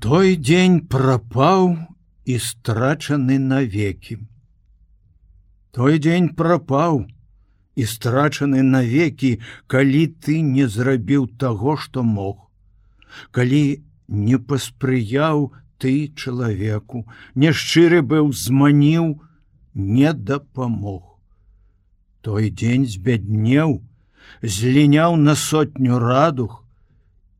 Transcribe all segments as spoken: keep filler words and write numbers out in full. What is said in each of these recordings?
Той дзень прапаў і страчаны навекі. Той дзень прапаў і страчаны навекі, калі ты не зрабіў таго, што мог, калі не паспрыяў ты чалавеку, няшчыры быў, зманіў, не дапамог. Той дзень збяднеў, зліняў на сотню радуг,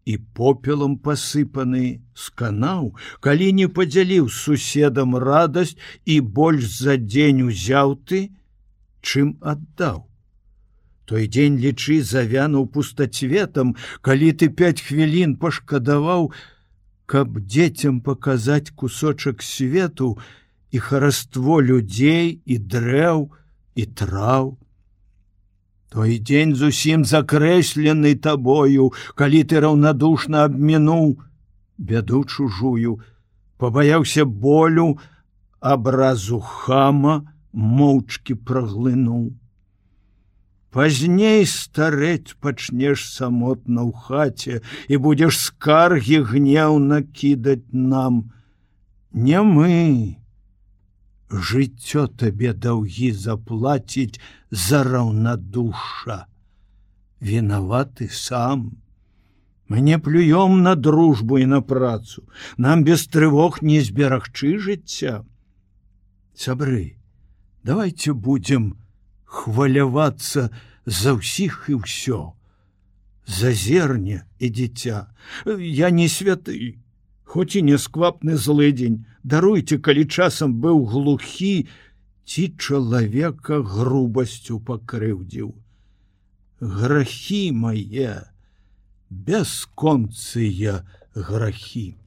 і попелам пасыпаны сканаў, калі не падзяліў з суседам радасць і больш за дзень узяў ты, чым аддаў. Той дзень, лічы, завянуў пустацветам, калі ты пяць хвілін пашкадаваў, каб дзецям паказаць кусочак свету і хараство людзей і дрэў і траў. Той дзень зусім закрэслены табою, калі ты раўнадушна абмінуў бяду чужую, пабаяўся болю, абразу хама моўчкі праглынуў. Пазней старэць пачнеш самотна ў хаце і будзеш скаргі гнеўна кідаць нам. Не мы, жыццё табе даўгі заплаціць за раўнадуша. Вінаваты сам. Мы не плюём на дружбу і на працу. Нам без трывог не зберагчы жыцця. Сябры, давайте будем хвалявацца за ўсіх і ўсё. За зерне і дзіця. Я не святы, хоць і нясквапны злыдзень. Даруйце, калі часам быў глухі, ці чалавека грубасцю пакрыўдзіў. Грахі мае, бясконцыя грахі.